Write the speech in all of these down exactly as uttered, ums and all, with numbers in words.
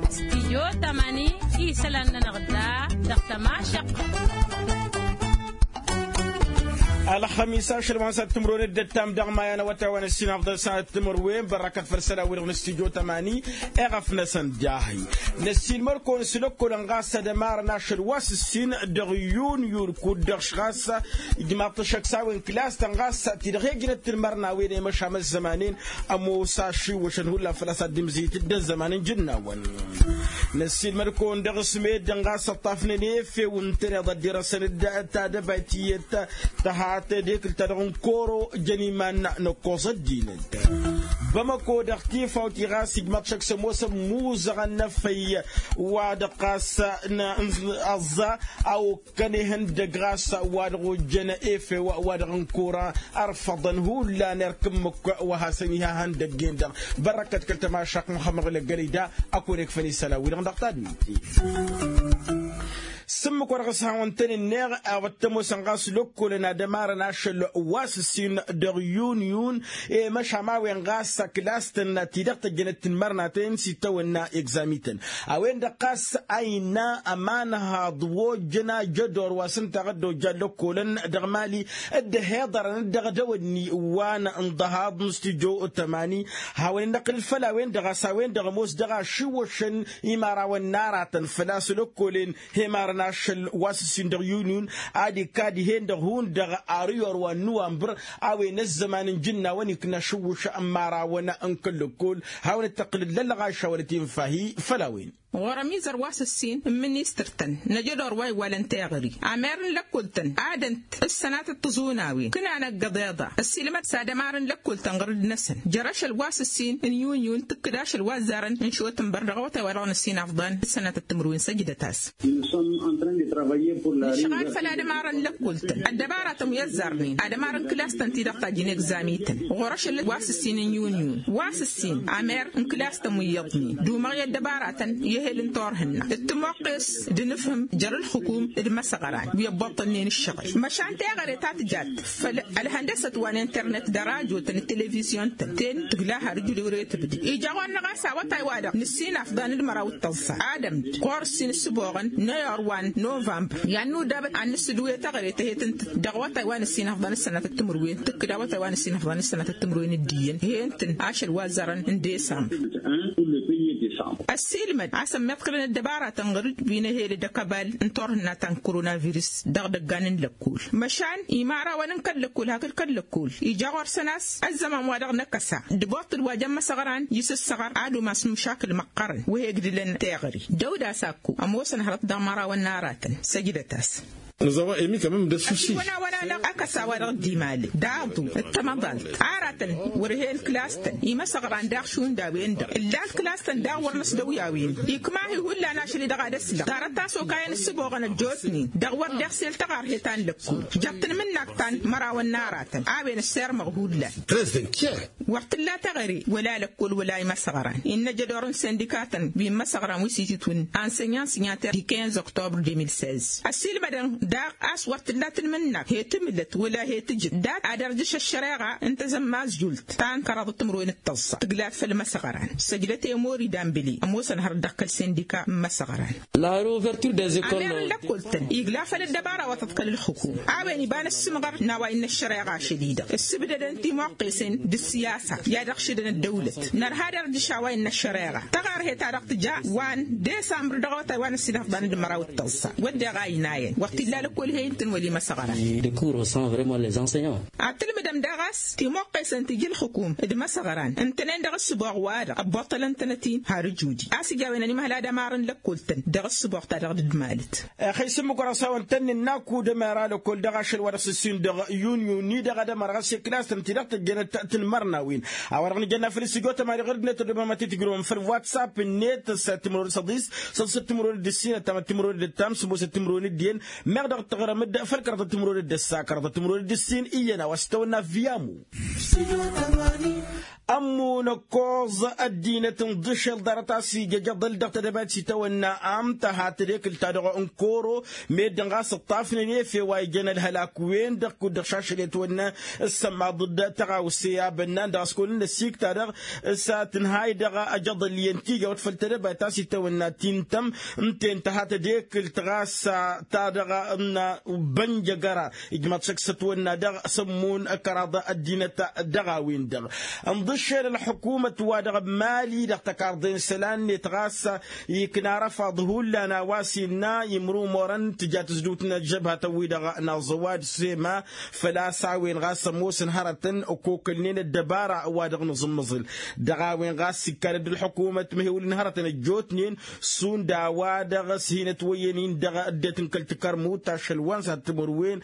Studio tămani isălan-nănăɣ da dăɣ-tămašăɣt. Ălxămis ašăl wa n-sănăt timǝrwen d-ăttam dăɣ-maya n-awătay wa n-ǝssin afḍăn sănăt timǝrwen bărrăkăt făll-isălan-wi-dăɣ n-studio tămani. Eɣăf-năsăn dahi năssiilmăd-kăwăn s-lăkkolăn ɣas ad-ămarăn ašăl wa s-ǝssin dăɣ-yun yun kud-dăɣ š-ɣas ijmaḍ-t ăššăk s-a-wen kǝlas-tăn ɣas ti-dăɣ he-ǝjnăt tǝnmărnawen i-măšam ăzzămanen. Ămoos ašiwwăšăn hullan făl-a-s ad-dd-imzǝyǝt dd-ăzzăman n-ijǝnnawăn. Năssiilmăd-kăwăn dăɣ-s meddǝn ɣas ăṭṭafnen efew ǝntăneḍ ăddirăsăn-dd tadăbayt tiyyăt tăhat dekǝl-ta-dăɣ n-koro jăn iman n-ăkkoẓ ăddinăt. Bamăko dăɣ-tifaw ti ɣas ijmaḍ šăkk s-ămoosăn muzăɣăn n-efăy wa dăɣ-ɣas n-ăẓẓa a-okănehăn dăgg-ɣas wa dăɣ-ojjăn efew wa dăɣ-n kora. Ărfăḍăn hullan erk ǝmmǝk wa hasăn-ihahăn dăgg-en-dăɣ. Bărrăkăt kăl-tămašăɣt muhămmăɣ lăggălăy da ăkun ekfăn isălan-wi-dăɣ dăɣ-tadǝmit. S-ǝmmǝk wa dăɣ-s hawăn-tăn-ǝnneɣ a-wa t-ămoosăn ɣas lăkkolăn ad-ămarăn ašăl wa s-ǝssin dăɣ-yun yun i-măšam a-wen ɣas ăklas-tăn ti-dăɣ tăjjănăt tǝnmărnaten s-itawănna egzamităn. A-wen-dăɣ ɣas a innă ămanhaḍ wa ojjăn ajădor wa s-ǝnta ad-dd-ojja ăllăkkolăn dăɣ-mali dd-ăhiḍărăn dd-dăɣ-dăwănni wa n-ḍăhaḍ n-stujo tămani. Hawăn-in-năqqǝlăl făll-a-wen-dăɣ a-s a-wen-dăɣ ămoos dăɣ-ašǝwwăšăn imărawăn n-aratăn făl-a-s lăkkolen hemarăn ašăl wa s-ǝssin dăɣ-yun-yun ad-ikad ihen-dăɣ hundăɣ. Ar iyor wa n-nuwambăr a-wen ăzzăman n-ijǝnnawăn ikna ašǝwwǝš n-imărawăn n-kăl-lăkkol. Hawăn-dd-tăqqǝlăl lălɣaša wăla tinfahi făll-a-wen. Ɣur-ămizăr wa s-ǝssin n-ministăr-tăn n-ajădor wa iwwalăn teɣări amer n-lăkkol-tăn ad-ǝnt ǝssănatăt tiẓunawen ǝknan ăggăḍ iḍa ăssiilmăd s-ad-ămar n-lăkkol-tăn ɣur-dd-năsăn jer-ašăl wa s-ǝssin n-yun-yun tǝkkǝd ašăl wa ăzzarăn n-šotǝnbăr dăɣ-awătay wa dăɣ-nǝssin afḍăn d-sănatăt timǝrwen săjdăt-as. Nǝšɣal făll-ad-ămarăn lăkkol-tăn ăddăbaratăn wi ăzzarnen ad-ămarăn kǝlas-tăn ti-dăɣ tajjǝn egzamităn ɣur-ašăl wa s-ǝssin n-yun-yun wa s-ǝssin amer n-kǝlas-tăn wi iyyăḍnen dumăɣ i-ăddăbaratăn i-ehel n-turhǝnna d-timoqqes d-inǝfhǝm jer-ǝlxǝkum d-imăsăɣran wi ăbboṭṭălnen ǝššăɣǝl măšan teɣăre ta tǝjat făll-ălhăndăsăt wa n-internet d-ărajotăn d-televizyon-tăn ten tǝgla har ǝjǝdǝwre tǝbdǝd ija ɣur-năɣ a-s awătay-wa-dăɣ nǝssin afḍan d-măraw d-tăẓẓa ad-ămd ɣur-s inǝssǝboɣăn n-ayor wa n-novămbăr i-ad-nudab ad-nǝssǝdǝwǝy teɣăre tăhet ǝnta dăɣ-awătay wa n-ǝssin afḍan d-sănatăt timǝrwen tǝkkǝd awătay wa n-ǝssin afḍan d-sănatăt timǝrwen d-iyyăn he-ǝntăn ašăl wa ăzzarăn n-desămbăr. Ăssiilmăd a-s ămmiḍkălăn ăddăbaratăn ɣur-dd wi n-ehel d-akăbal n-turhǝnna ta n-koronavirus dăɣ-idăggan n-lăkkol măšan imărawăn n-kăl-lăkkol hakd kăl-lăkkol ija ɣur-săn a-s ăzzăman wa dăɣ-năkăsa d-iboṭṭǝl wa jăn imăsăɣran i-sǝssăɣăr ad-umas n-imăšakǝl măqqărăn wa he-ǝgdǝlăn teɣăre dăw-dd-asakku ămoosăn hărăt dăɣ-imărawăn n-aratăn. Săjdăt-as. Nǝzăwăn emi kămăm d-ăssusi. Ăkăsa wa dăɣ-dd-imalăn d-aḍu d-tamăḍalt aratăn wăr-hen kǝlas-tăn imăsăɣran daɣ šund a-wen-dăɣ ǝllan kǝlas-tăn daɣ wăr năsdăwyawen ikma-hi hullan ašăl-i-dăɣ ad-ăslăɣ tarăt ta s-okayăn ǝssǝboɣăn ăjjootnen dăɣ-wăr d-iɣsel tăɣarhet ta n-lăkkol jăɣ-tǝnmǝnnak ta n-imărawăn n-aratăn a-wen ăssirmăɣ hullan. Wăr t-tǝlla teɣăre wăla lăkkol wăla imăsăɣran innă jădor n-sindika-tăn wi n-imăsăɣran wi s-itǝtwǝn ansenyan sinyater di quinze octobre deux mille seize ăssiilmădăn daɣ a-s wăr t-tǝlla tǝnmǝnnakt he-tǝmǝlăt wăla he-tǝjǝt dat ad-ărjǝš ăššăreɣa n-tazămmazjult ta n-kăraḍăt timǝrwen d-tăẓẓa tǝglat făll-imăsăɣran. Săjdăt i-mori dambǝli ămoosăn hărăt dăɣ-kăl-sindika n-imăsăɣran. Amer n-lăkkol-tăn igla făll-ăddăbara wa tăḍkăl ǝlxǝkum a-wen iba n-ǝssǝmɣăr n-a-wa innă ăššăreɣa ašăl-i-dăɣ ǝssǝbdădăn timoqqesen d-ǝssiyasa i-ad-ăɣšǝdăn ăddăwlăt nărha ad-ărjǝš a-wa innă ăššăreɣa tăɣarhet-ta-dăɣ tǝja wa n-desambr dăɣ-awătay wa n-ǝssin afḍan d-măraw d-tăẓẓa wădden a inayăn wăr t-illa lăkkol he-i n-tǝnwăl imăsăɣran. Ad-tǝlmǝdăm daɣ a-s timoqqesen ti ija ǝlxǝkum d-imăsăɣran ǝntănen dăɣ-ǝssǝboɣ-wa-dăɣ ăbboṭṭălăn-tănăt-in har ǝjudi a-s ija a-wen ănimhăl ad-ămarăn lăkkol-tăn dăɣ-ǝssǝboɣ-ta-dăɣ d-ǝdmalăt. Ixăy s-ǝmmǝk wăr-ăsawăn-tăn-nin-naku d-ămăra lăkkol dăɣ-ašăl wa dăɣ-s ǝssin dăɣ-yun-yun-ni dăɣ-ad-ămăra ɣas i-kǝlas-tăn ti-dăɣ tăjjănăt tǝnmărnawen. A-wa-dăɣ nǝjănna făll-stujo tămani ɣǝr-dd-net ăddoobăm ad-t-tǝjrǝwăm făll-whatsapp-net s-timǝrwen d-săḍis săḍisăt timǝrwen d-ǝssin ăttamăt timǝrwen d-ǝttam sămoosăt timǝrwen d-iyyăn. Dăɣ-tăɣrăm-dd făll-kărăḍăt timǝrwen d-ǝssa kărăḍăt timǝrwen d-ǝssin iyyăn a-wa s-tawănna viyamu. Ămmun ăkkoẓ ăddinăt n-iḍǝšel ḍarăt a-s ija ijăḍăl dăɣ-tedăbayt s-itawănna amtăhat d-ekǝl-ta-dăɣ n-koro meddǝn ɣas ǝṭṭafnen efew a ijăn ălhălak-wen-dăɣ kud-dăɣ šašăl i-ătwănna. Ǝssămmaḍ d-tăɣawse a bănnan dăɣ-s kăwăn-dd-năsikta-dăɣ s-ad-tǝnhay dăɣ-ajăḍăl iyyăn tijawăt făll-tedăbayt a-s itawănna tintăm ǝnta i-ǝntăhat d-ekǝlt ɣas ta-dăɣ n-bănjăgăra. Ijmaḍ šăkk s-ătwănna dăɣ-sămmun kăraḍ ăddinăt dăɣ-a-wen-dăɣ ǝnḍǝššel ălḥukumăt-wa-dăɣ n-mali dăɣ-tăkarḍe n-isălan-net ɣas ikna răfaḍ hullan a-wa s-innă imrumorăn tǝja tǝzdǝwt n-ălžăbhatăn-wi-dăɣ n-aẓăwad sema. Făl-a-s a-wen ɣas ămoosăn hărătăn ăkokălnen ăddăbara wa dăɣ-nǝẓǝmmăẓǝl dăɣ-a-wen ɣas ikkal dd-ălḥukumăt măhewǝlăn hărătăn ăjjootnen šund a-wa-dăɣ s-hin-ătwăyyăn-in dăɣ-ăddinăt n-kăl-tikăr n-imut ašăl wa n-săr timǝrwen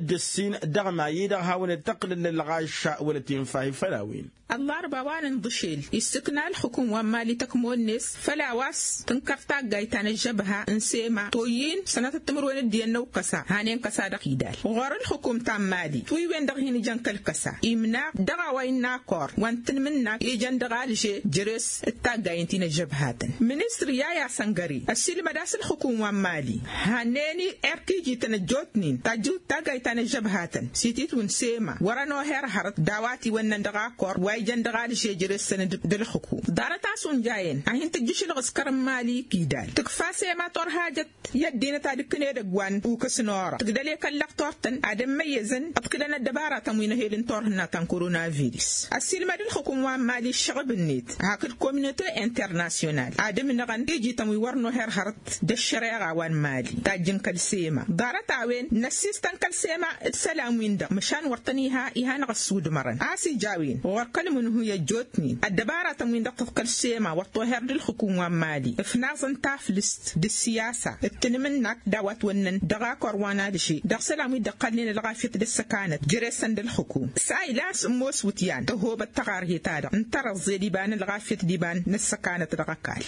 d-ǝssin dăɣ-mayi-dăɣ hawăn-dd-tăqqǝlăl ălɣašša wăla tinfahi făll-a-wen. Ăllarba wa n-inḍǝšel issǝkna ălxǝkǝm wa n-mali tăkmon-net făll-a-wa s-tǝnkăr taggayt ta n-ăžžăbha n-sema toyy-in sănatăt timǝrwen d-iyyăn n-ăwkăsa hanen kăsa dăɣ-idal ɣur-ălxǝkǝm ta n-mali tiwǝywen dăɣ-hin-ǝjăn kăl-kăsa imna dăɣ-a-wa innă akor wa n-tanmǝnnak ijăn dăɣ-alže jere-s d-taggayen ti n-ăžžăbhatăn. Ministăr yaya săngăre ăssiilmăd a-s ǝlxǝkǝm wa n-mali hannen erk ijităn ăjjootnen tajjǝwt taggayt ta n-ăžžăbhatăn s-ititwǝn sema wăr-ănoher hărăt d-a-wa tiwănnăn dăɣ-akor wa ijăn dăɣ-alže jere-săn d-ǝlxǝkǝm ḍarăt a-s unjayăn a hin-tǝjjǝšǝlɣǝs kărăn mali kidal tǝkfa sema torhajăt i-ăddinăt ad-ǝkkǝn edăgg wa n-ukǝs n-orăɣ tǝgdăl i-kăl-lăɣ tortăn ad-ămmăyyăzăn ǝḍkǝlăn ăddăbaratăn wi n-ehel n-turhǝnna ta n-koronavirus. Ăssiilmăd ǝlxǝkǝm wa n-mali ǝššăɣǝb-net hak d-kominote internasyonal ad-ǝmnăɣăn ijităn wi wăr noher hărăt d-ăššăreɣa wa n-mali tajjǝn kăl-sema ḍarăt-a-wen năssistăn kăl-sema d-isălan-win-dăɣ măšan wăr tăn-iha iha-năɣ ăssudmărăn a-s ija a-wen ɣur-kăl-imǝnhǝy ăjjootnen ăddăbaratăn-win-dăɣ tăḍkăl sema wăr toher d-ǝlxǝkǝm wa n-mali ǝfnaẓăn taflǝst d-ǝssiyasa d-tanmǝnnak d-a-wa ătwănnăn dăɣ-akor wa n-alže dăɣ-isălan wi dd-ăqqălnen ălɣafyăt d-ăssăkanăt jere-săn d-ǝlxǝkǝm s-a ilan s-ămoos iwǝtyan tăhobăt taɣarhe-ta-dăɣ n-tărăẓẓe d-iba n-ălɣafyăt d-iba n-ăssăkanăt dăɣ-ăkall.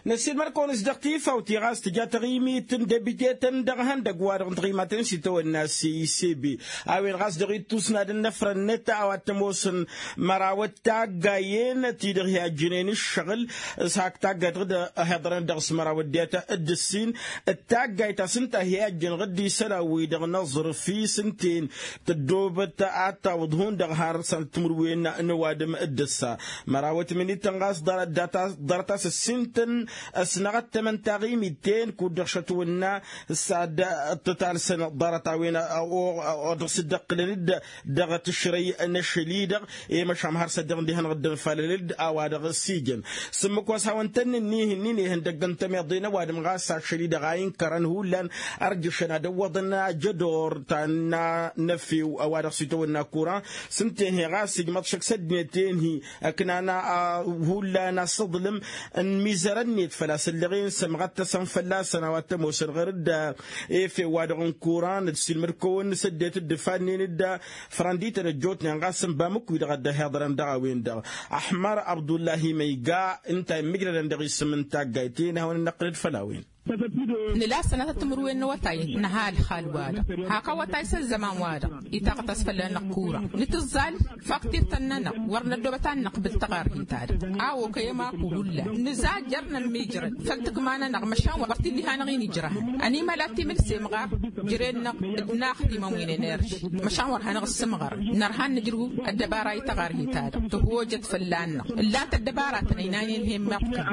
Năssiilmăd-kăwăn-s dăɣ-tifawt i-ɣas tǝja taɣimit n-debite-tăn dăɣ-ihăndăgg wa dăɣ-n tiɣimaten s-itawănna s-isebe a-wen ɣas dăɣ-ittus n-ad-ănnăfrănnăt a-wa t-ămoosăn mărawăt taggayen ti-dăɣ hi-ajjǝnen ǝššăɣǝl s-hak taggayt ɣǝd ăhiḍărăn dăɣ-s măraw ăddinăt d-ǝssin d-taggayt a-s ǝnta hi-ajjǝnăɣ-dd isălan-wi-dăɣ n-aẓrǝf i-s ǝnta-en tăddoobăt ad-tawǝḍ hundăɣ har sănăt timǝrwen n-ăwadǝm d-ǝssa mărawăt minittăn ɣas ḍarăt a-s ǝssintăn ăsnăɣăttămăn taɣimit-ten kud-dăɣ šătwănna s-ad-tǝtalsăn ḍarăt-a-wen dăɣ-s dd-ăqqǝlăn-dd dăɣ-tǝšrăy n-ašăl-i-dăɣ i-măšan har s-ăddinăɣ dd-ihănăɣ-dd ănfalăl-dd a-wa dăɣ-s ijăn. S-ǝmmǝk wa s-hawăn-tăn ǝnnih-ǝnnin ihăndăgg n-tămiḍe n-ăwadǝm ɣas ašăl-i-dăɣ a inkărăn hullan ărjǝšăn ad-ăwwăḍăn ajădor ta n-efew ăwadǝm s-itawănna kuran s-ǝnta-en-hi ɣas ijmăḍ šăkk s-ăddinăt-en-hi ǝknan hullan asǝḍlǝm n-imizărăn-net făl-a-s ǝlleɣ-en sămɣăttăsăn fălla-săn a-wa t-ămoosăn ɣur-dd efew wa dăɣ-n kuran d-silmăd-kăwăn s-ăddinăt dd-ǝfannen-dd frăndităn ăjjootnen ɣas n-bamǝkwi-dăɣ a dd-ăhiḍărăn dăɣ-a-wen-dăɣ. Ăḥmăr abdullahi măyga ǝnta a immǝjrădăn dăɣ-isǝm n-taggayt-en ad-hawăn-dd-năqqǝlăd făll-a-wen. Nǝla sănatăt timǝrwen n-awătay nǝha ălxal-wa-dăɣ hak awătay s-ăzzăman-wa-dăɣ itaqtăs fălla-năɣ kura nǝtǝẓẓal faktirt-tăn-nănăɣ wăr năddoobăt ad-năqbǝl taɣarhit-ta-dăɣ a okăy ămaku hullan nǝza jer-nămmijrăd făll-tǝkma-nănăɣ măšan wăr t-illa iha-năɣ-in ijrăhăn ănimăla timǝlsem ɣaf jere-năɣ d-naxtimăn wi n-enerži măšan wăr hanăɣ-ǝssǝmɣărăn nărha ad-nǝjrǝw ăddăbara i-taɣarhit-ta-dăɣ tǝhwojăt fălla-năɣ ǝllan-t ăddăbaratăn ăynaynen hen-meḍkăn.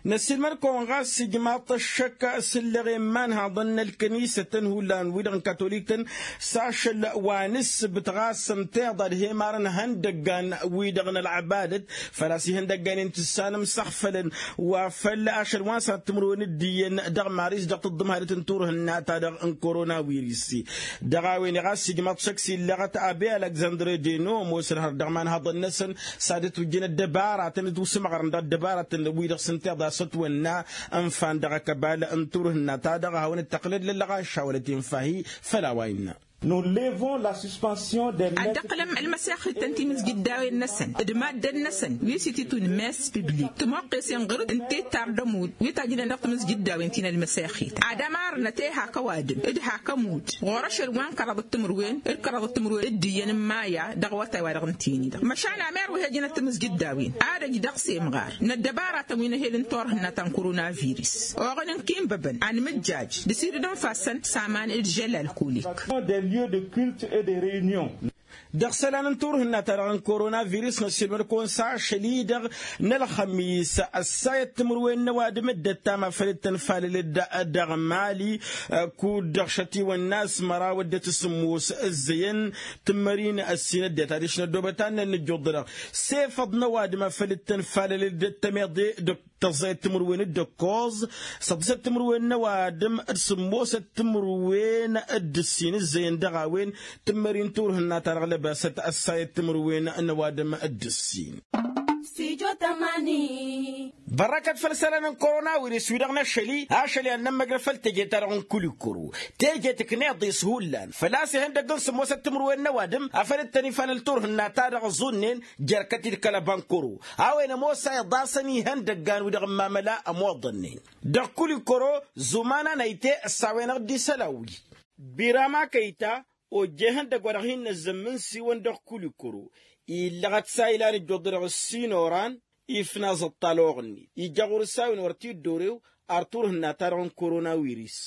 Năssiilmăd-kăwăn ɣas ijmaḍ-t ăššăk s-ǝlleɣ i-imanhaḍăn n-ălkănisătăn hullan wi-dăɣ n-katolik-tăn s-ašăl wa n-ǝssǝbǝt ɣas ǝnta iḍa d-he-imarăn ihăndăggan wi-dăɣ n-ălɣăbadăt făl-a-s ihăndăggan-en tǝssanăm s-ăɣfălăn wa făl ašăl wa n-sănat timǝrwen d-iyyăn dăɣ-maris dăɣ-taḍǝmhadăt n-turhǝnna-ta-dăɣ n-koronawiris. Dăɣ-a-wen-i ɣas ijmaḍ šăkk s-illăɣăt abe alăgzandre deno ămoosăn hărăt dăɣ-imanhaḍăn-năsăn s-ad-ătwǝjjǝn ăddăbaratăn d-usǝmɣărăn dăɣ-ăddăbaratăn wi-dăɣ s-ǝnta iḍa s-ătwănna ǝnfan dăɣ-ăkăbal n-turhǝnna-ta-dăɣ a hawăn-dd-tăqlăd lăllăɣaša wăla tinfahi făll-a-wa innă. Nous levons la suspension des ad-dd-ăqqǝlăm ălmăssexităn timǝzjǝddawen-năsăn d-maddǝn-năsăn wi s-ititun mess piblik tămoqqes-en ɣur-dd ǝnta ittar d-ămudd wi tajjǝnen dăɣ-timǝzjǝddawen ti n-ălmăssexităn ad-ămarnăt i-hak ăwadǝm d-hak ămudd ɣur-ašăl wa n-kăraḍăt timǝrwen d-kăraḍăt timǝrwen d-iyyăn n-maya dăɣ-awătay-wa-dăɣ ǝnta-en-dăɣ măšan amer wi hejănăt timǝzjǝddawen ad-ăj dăɣ-semɣar n-ăddăbaratăn wi n-ehel n-turhǝnna ta n-koronavirus oɣăn n-kinbăbăn anmǝjjaj d-sidǝd n-ifassăn s-aman d-žel alkulik. Des lieux de culte et de réunion. Dăɣ-isălan n-turhǝnna-ta-dăɣ n-koronavirus n-ăssiilmăd-kăwăn s-ašăl-i-dăɣ n-ălxămis ăssayăt timǝrwen n-ăwadǝm dd-ăttam afăl dd-tănfalălăd dăɣ-mali kud-dăɣ šătiwăn n-asmăra wădden s-sǝmmos ǝzzăyăn tǝmmărin ăssin ăddinăt adiš n-ăddoobăt annăn n-ǝjjuḍ-dăɣ s-efăḍ n-ăwadǝm afăl dd-tănfalălăd tămeḍe d-tăẓẓayăt timǝrwen d-ǝkkoẓ săḍisăt timǝrwen n-ăwadǝm d-sǝmmosăt timǝrwen d-ǝssin ǝzzăyăn dăɣ-a-wen tǝmmări n-turhǝnna-ta-dăɣ lăbasăt ăssayăt timǝrwen n-ăwadǝm d-ǝssin. Bărrăkăt făll-isălan n-koronawiris-wi-dăɣ n-ašăl-i ad-nămmăjrăd făll-teje-ta-dăɣ n-kulikoro teje tǝkneḍ-i s-hullan făl-a-s ihăndăgg n-sǝmmosăt timǝrwen n-ăwadǝm a făl dd-tăn-ifalăl turhǝnna-ta-dăɣ ăẓunnen jer-kăt-dd kăl-ăbankăro a-wen ămoos a iḍasăn ihăndăggan-wi-dăɣ n-imamăla ămoḍănnen dăɣ-kulikoro zuman-anăyte ăssawen-aɣ-dd isălan-wi. Birama kăyta ojja ihăndăgg wa dăɣ-hin-năzzămmǝnsiwăn dăɣ-kulikoro illăɣăt s-a ilan ǝjjuḍ-dăɣ ǝssin oran ifnaẓ ăṭṭal oɣǝnnin ija ɣur-s a-wen wăr t-dd-orew ar turhǝnna-ta-dăɣ n-koronawiris.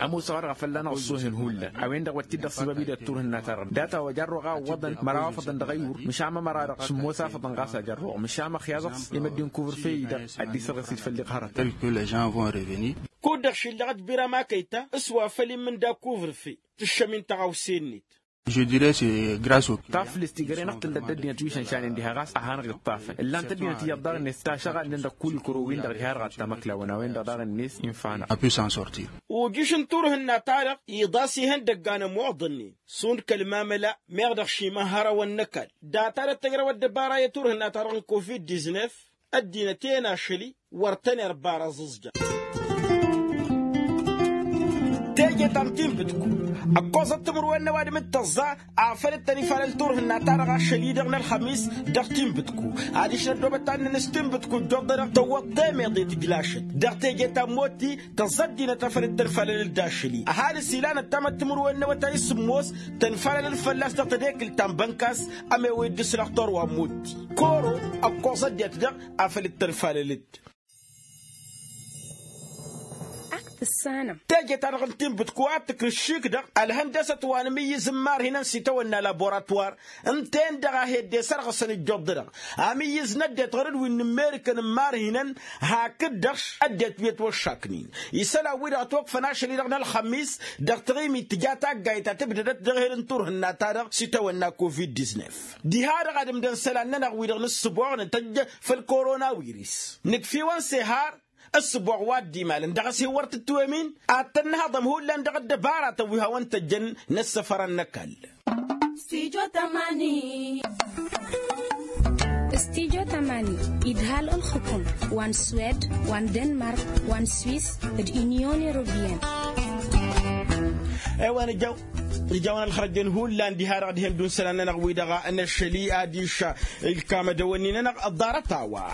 Ămoos a-wa-dăɣ a fălla-năɣ ăṣṣoohen hullan a-wen-dăɣ wăr t-dd-ăṣṣibab idăt turhǝnna-ta-dăɣ data wa jarroɣ a ǝwwăḍăn măraw afăḍăn dăɣ-ayyur măšan mămăra-dăɣ sǝmmos afăḍăn ɣas a jarroɣ măšan măxyaẓăt i-măddin kuvrǝfe-i-dăɣ ad-dd-isărɣǝs-dd făll-iɣhărătăn. Kud-dăɣ šillăɣ-dd birama kăyta s-wa făl immǝnda kuvrǝfe tǝššăm-in tăɣawse-net. Taflǝst igrăy-năɣ tǝllăt d-ăddinăt wi šănšanen diha ɣas a hanăɣ-iṭṭafăn ǝllan-t ăddinăt iyyăḍ daɣ-net tašăɣalnen dăɣ-kul ikăro-win-dăɣ diha dăɣ-ad-tamăklawăn a-wen-dăɣ daɣ-net infa-năɣ. Ujǝš n-turhǝnna-ta-dăɣ iḍas ihăndăggan ămoḍănnen šund kăl-mamăla meɣ dăɣ-šimăhărăwăn n-ăkall data-dăɣ tăjrăw ăddăbara i-turhǝnna-ta-dăɣ n-covid-diznef ăddinăt-en ašăl-i wăr tăn-irbar aẓǝẓja. Teje ta n-tinbǝtku ăkkoẓăt timǝrwen n-ăwadǝm d-tăẓẓa afăl dd-tăn-ifalăl turhǝnna-ta-dăɣ ašăl-i-dăɣ n-ălxămis dăɣ-tinbǝtku adiš n-ăddoobăt ta n-inǝs tinbǝtku ǝjjoḍ-dăɣ tăwwăḍ temeḍe tǝjlašăt dăɣ-teje ta n-motti tăẓẓa ăddinăt afăl dd-tăn-falălăl d-ašăl-i ăhalǝs ilan ăttamăt timǝrwen n-awătay s-sǝmmos tăn-falălăl fălla-s dăɣ-tedekǝlt ta n-bănkas ămewăy dd-ǝslăɣ torwa n-motti koro ăkkoẓ ăddinăt dăɣ afăl dd-tăn-falălăd. Teje-ta-dăɣ n-tinbǝtku a tǝkrǝš šik-dăɣ ălhăndăsăt wa n-amǝyyǝz n-imarhinăn s-itawănna laboratwar ǝnta-en-dăɣ a hedde sărɣǝsăn ǝjjoḍ-dăɣ amǝyyǝz n-ăddinăt ɣur-dd wi n-immerikăn n-imarhinăn hakd-dăɣ ăddinăt wi ătwăššaknen isălan-wi-dăɣ ătwăkfăn ašăl-i-dăɣ n-ălxămis dăɣ-taɣimit tǝja taggayt ta tǝbdădăt dăɣ-eher n-turhǝnna-ta-dăɣ s-itawănna covid-diznef. Diha-dăɣ ad-ǝmdăn isălan-nănăɣ wi-dăɣ nǝssǝboɣnăt ăjj făll-koronawiris nǝkf'-iwăn s-ehar ǝssǝboɣ wa dd-imalăn dăɣ-s hin-wăr tǝtwămin ad-tăn-nǝhăḍăm hullan dăɣ-ăddăbaratăn wi hawăn-tăjjăn n-ăssăfărăn n-ăkall. Studyo tămani idhal ǝlxǝkum wa n-swed wa n-denmark wa n-swis d-inyon europeyăn. Ewa nǝjjaw nǝjjaw n-ălxărăjjăn hullan diha-dăɣ dihen-dd-un isălan-nănăɣ wi-dăɣ n-ašăl-i adiš ilkam ad-ăwănni-nănăɣ ăḍḍarăt a-wa.